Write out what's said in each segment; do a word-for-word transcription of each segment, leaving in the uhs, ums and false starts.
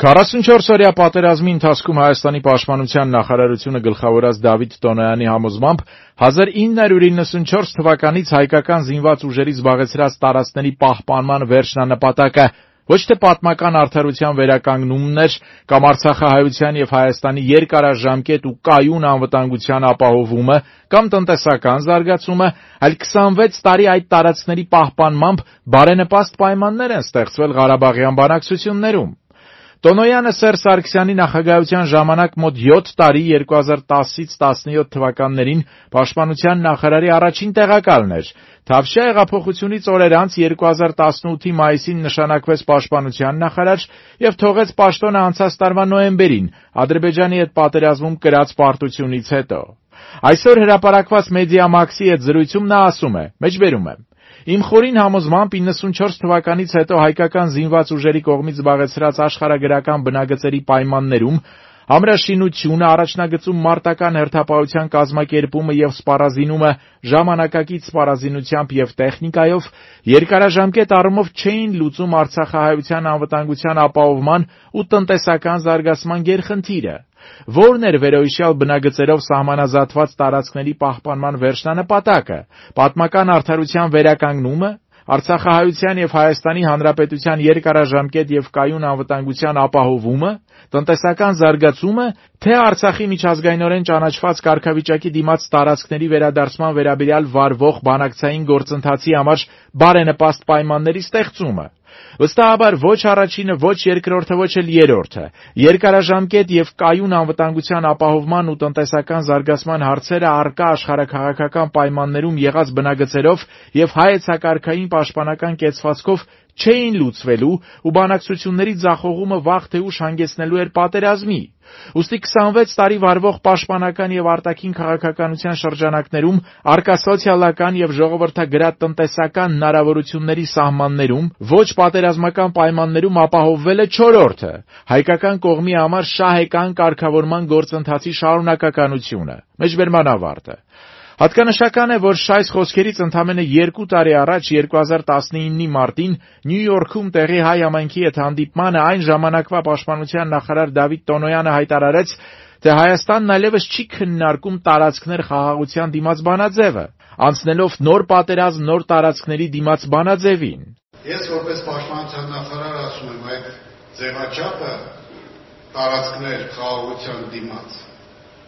քառասունչորս օրյա պատերազմի ընթացքում Հայաստանի պաշտպանության նախարարությունը գլխավորած Դավիթ Տոնոյանի համոզմամբ հազար ինը հարյուր իննսունչորս թվականից հայկական զինված ուժերի զբաղեցրած տարածքների պահպանման վերջնանպատակը ոչ թե պատմական արդարության վերականգնումն էր կամ Արցախահայության եւ Հայաստանի երկարաժամկետ ու կայուն անվտանգության ապահովումը կամ տնտեսական զարգացումը, այլ քսանվեց տարի այդ տարածքների պահպանմամբ բարենպաստ պայմաններ են ստեղծվել Ղարաբաղյան բանակցություններում։ Տոնոյանը Սերժ Սարգսյանի նախագահության ժամանակ մոտ յոթ տարի երկու հազար տասից տասնյոթ թվականներին պաշտպանության նախարարի առաջին տեղակալն էր։ Թավշյա հեղափոխությունից օրեր անց երկու հազար տասնութի մայիսին նշանակվեց պաշտպանության նախարար եւ թողեց պաշտոնը անցած տարվա նոյեմբերին Ադրբեջանի հետ պատերազմում կրած պարտությունից հետո։ Այսօր հրապարակված Մեդիամաքսի հետ զրույցում նա ասում է. մեջբերում է. Իմ խորին համոզմամբ իննսունչորս թվականից հետո հայկական զինված ուժերի կողմից զբաղեցրած աշխարհագրական բնագծերի պայմաններում ամրաշինությունը, առաջնագծում մարտական հերթապահության կազմակերպումը եւ սպառազինումը ժամանակակից սպառազինությամբ եւ տեխնիկայով երկարաժամկետ առումով չէին լուծում Արցախահայության անվտանգության ապահովման ու տնտեսական զարգացման գերխնդիրը։ Որն էր վերոհիշյալ բնագծերով սահմանազատված տարածքների պահպանման վերջնանպատակը։ Պատմական արդարության վերականգնումը, Արցախահայության եւ Հայաստանի Հանրապետության երկարաժամկետ եւ կայուն անվտանգության ապահովումը, տնտեսական զարգացումը, թե Արցախի միջազգայինորեն ճանաչված կարգավիճակի դիմաց տարածքների վերադարձման վերաբերյալ վարվող բանակցային գործընթացի համար բարենպաստ պայմանների ստեղծումը։ Վստահաբար ոչ առաջինը, ոչ երկրորդը, ոչ էլ երրորդը երկարաժամկետ եւ կայուն անվտանգության ապահովման ու տնտեսական զարգացման հարցերը առկա աշխարհաքաղաքական պայմաններում եղած բնագծերով եւ հայեցակարգային պաշտպանական կեցվածքով չէին լուծվելու ու բանակցությունների ձախողումը վաղ թե ուշ հանգեցնելու էր պատերազմի։ Ուստի քսանվեց տարի վարվող պաշտպանական եւ արտաքին քաղաքականության շրջանակներում առկա սոցիալական եւ ժողովրդագրад տնտեսական հնարավորությունների սահմաններում ոչ պատերազմական պայմաններում ապահովվել է չորրորդը հայկական կողմի համար շահեկան կարգավորման գործընթացի շարունակականությունը։ Մեջբերման ավարտը։ Հատկանշական է, որ շայս խոսքերից ընդամենը երկու տարի առաջ երկու հազար տասնինի մարտին Նյու Յորքում տեղի հայ համայնքի հետ հանդիպմանը այն ժամանակվա պաշտպանության նախարար Դավիթ Տոնոյանը հայտարարեց, թե Հայաստանն այլևս չի քննարկում տարածքներ խաղաղության դիմաց բանաձևը, անցնելով նոր պատերազմ նոր տարածքների դիմաց բանաձևին։ Ես որպես պաշտպանության նախարար ասում եմ, այդ ձևաչափը տարածքներ խաղաղության դիմաց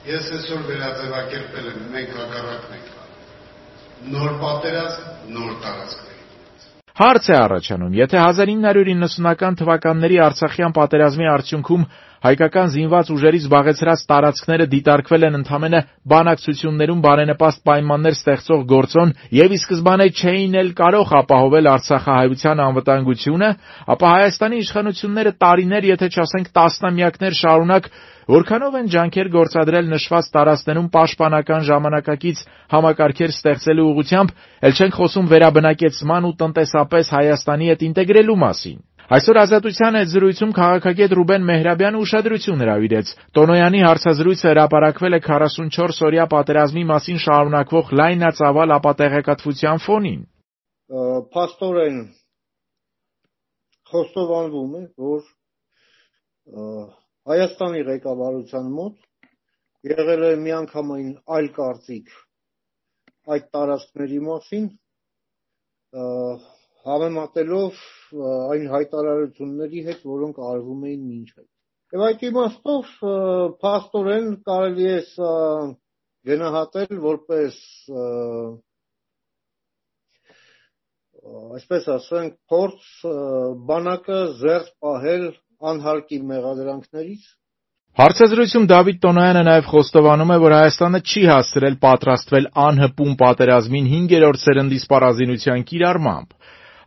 ես այսօր վերաձևակերպել եմ, մենք հակառակն ենք անում։ Նոր պատերազմ, նոր տարածքների դիմաց։ Հարց է առաջանում, եթե հազար ինը հարյուր իննսունական թվականների Արցախյան պատերազմի արդյունքում հայկական զինված ուժերի զբաղեցրած տարածքները դիտարկվել են ընդամենը բանակցություններում բարենպաստ պայմաններ ստեղծող գործոն եւ ի սկզբանե չէին էլ կարող ապահովել Արցախահայության անվտանգությունը, ապա Հայաստանի իշխանությունները տարիներ, եթե չասենք տասնամյակներ շարունակ որքանով են ջանքեր գործադրել նշված տարածքներում պաշտպանական ժամանակակից համակարգեր ստեղծելու ուղղությամբ, ել չենք խոսում վերաբնակեցման ու տնտեսապես Հայաստանի հետ ինտեգրելու մասին։ Այսօր Ազատության հետ զրույցում քաղաքագետ Ռուբեն Մեհրաբյանը ուշադրություն հրավիրեց։ Տոնոյանի հարցազրույցը հրապարակվել է քառասունչորս օրյա պատերազմի մասին շարունակվող լայնածավալ ապատեղեկատվության ֆոնին։ Փաստորեն խոստովանվում է, որ Հայաստանի ղեկավարության մոտ եղել է միանգամայն այլ կարծիք այդ տարածքների մասին, համեմատելով այն հայտարարությունների հետ, որոնք արվում էին մինչ այդ։ Եվ այդ իմաստով փաստորեն կարելի է գնահատել որպես այսպես ասենք փորձ բանակը զերծ պահել անհարկի մեղադրանքներից։ Հարցազրույցում Դավիթ Տոնոյանը նաև խոստովանում է, որ Հայաստանը չի հասցրել պատրաստվել անհպում պատերազմին հինգերորդ սերնդի սպառազինության կիրառմամբ։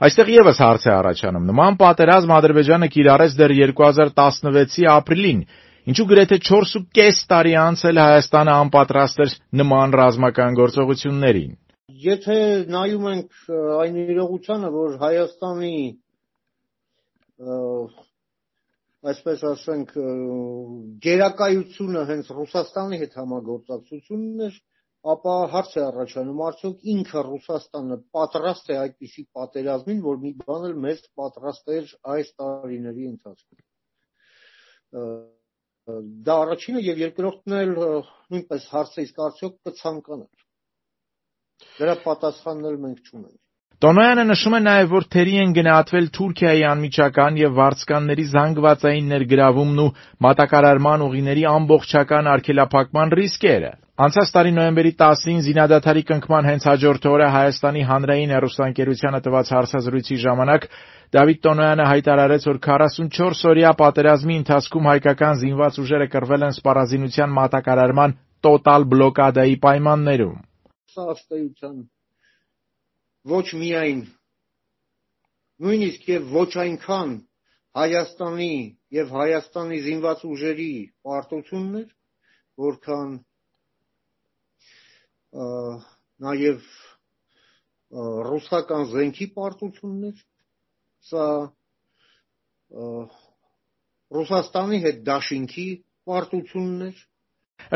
Այստեղ եւս հարց է առաջանում. նման պատերազմ Ադրբեջանը կիրառեց դեռ երկու հազար տասնվեցի ապրիլին, ինչու գրեթե չորս ու կես տարի անց էլ Հայաստանը անպատրաստ էր նման ռազմական գործողություններին։ Եթե նայում ենք այն իրողությանը, որ Հայաստանի այսպես ասենք գերակայությունը հենց Ռուսաստանի հետ համագործակցությունն էր, ապա հարց է առաջանում, արդյոք ինքը Ռուսաստանը պատրաստ է այդպիսի պատերազմին, որ մի բան էլ մեծ պատրաստ էր այս տարիների ընթացքում։ դա առաջինը եւ երկրորդն էլ նույնպես հարցը իսկ արդյոք կցանկանար։ Դրա պատասխանն էլ մենք չունենք։ Տոնոյանը նշում է նաև, որ թերի են գնահատվել Թուրքիայի անմիջական եւ վարձկանների զանգվածային ներգրավումն ու մատակարարման ուղիների ամբողջական արգելափակման ռիսկերը։ Անցած տարի նոյեմբերի տասին զինադադարի կնքման հենց հաջորդ օրը Հայաստանի հանրային հեռուստաընկերությանը տված հարցազրույցի ժամանակ Դավիթ Տոնոյանը հայտարարեց, որ քառասունչորս օրյա պատերազմի ընթացքում հայկական զինված ուժերը կռվել են սպառազինության մատակարարման տոտալ բլոկադայի պայմաններում։ Սա ըստ էության ոչ միայն նույնիսկ եւ ոչ այնքան Հայաստանի եւ Հայաստանի զինված ուժերի պարտությունն էր, որքան նաեւ ռուսական զենքի պարտությունն էր, սա Ռուսաստանի հետ դաշինքի պարտությունն էր։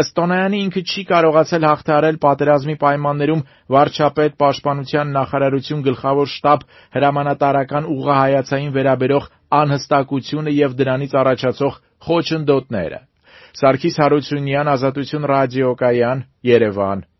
Ըստ Տոնոյանի ինքը չի կարողացել հաղթահարել պատերազմի պայմաններում վարչապետ, պաշտպանության նախարարություն, գլխավոր շտաբ, հրամանատարական ուղղահայացային վերաբերող անհստակությունը եւ դրանից առաջացող խոչընդոտները։ Սարգիս Հարությունյան, Ազատություն ռադիոկայան, Երևան։